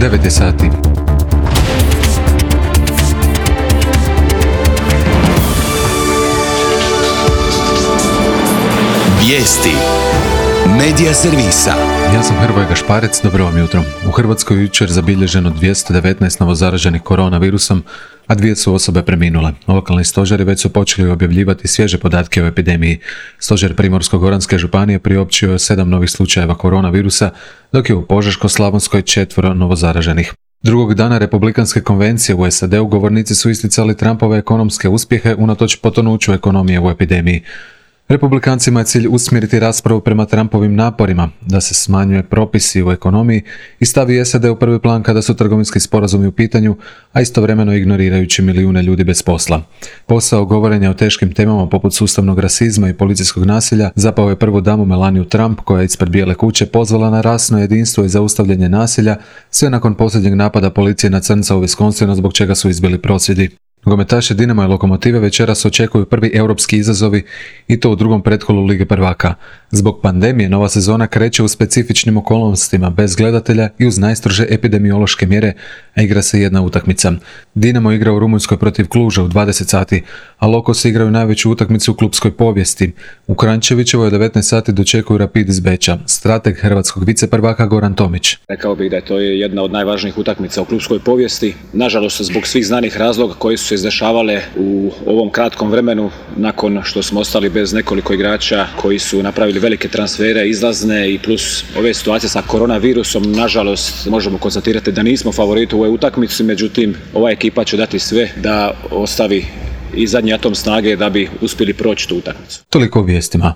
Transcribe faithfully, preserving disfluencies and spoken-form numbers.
devet je sati. Vijesti Medija servisa. Ja sam Hrvoje Gašparec, dobro vam jutro. U Hrvatskoj jučer zabilježeno dvjesto devetnaest novozaraženih koronavirusom, a dvije su osobe preminule. Lokalni stožeri već su počeli objavljivati svježe podatke o epidemiji. Stožer Primorsko-goranske županije priopćio je sedam novih slučajeva koronavirusa, dok je u Požeško-slavonskoj četvoro novozaraženih. Drugog dana Republikanske konvencije u S A D-u govornici su isticali Trumpove ekonomske uspjehe unatoč potonuću ekonomije u epidemiji. Republikancima je cilj usmjeriti raspravu prema Trumpovim naporima da se smanjuje propisi u ekonomiji i stavi S A D u prvi plan kada su trgovinski sporazumi u pitanju, a istovremeno ignorirajući milijune ljudi bez posla. Posao govorenja o teškim temama poput sustavnog rasizma i policijskog nasilja zapao je prvu damu Melaniju Trump, koja je ispred Bijele kuće pozvala na rasno jedinstvo i zaustavljanje nasilja, sve nakon posljednjeg napada policije na crnca u Wisconsinu, zbog čega su izbili prosvjedi. Nogometaši Dinama i Lokomotive večeras očekuju prvi europski izazovi i to u drugom pretkolu Lige prvaka. Zbog pandemije nova sezona kreće u specifičnim okolnostima, bez gledatelja i uz najstrože epidemiološke mjere, a igra se jedna utakmica. Dinamo igra u Rumunjskoj protiv Kluža u dvadeset sati, a Lokosi igraju najveću utakmicu u klupskoj povijesti. U Kranjčevićevoj devetnaest sati dočekuju Rapid iz Beča. Strateg hrvatskog viceprvaka Goran Tomić. Rekao bih da je to jedna od najvažnijih utakmica u klupskoj povijesti. Nažalost, zbog svih znanih razloga koji su se izdešavale u ovom kratkom vremenu, nakon što smo ostali bez nekoliko igrača koji su napravili velike transfere, izlazne, i plus ove situacije sa koronavirusom, nažalost možemo konstatirati da nismo favoriti u ovoj utakmici, međutim ova ekipa će dati sve da ostavi i zadnji atom snage da bi uspjeli proći tu utakmicu. Toliko o vijestima.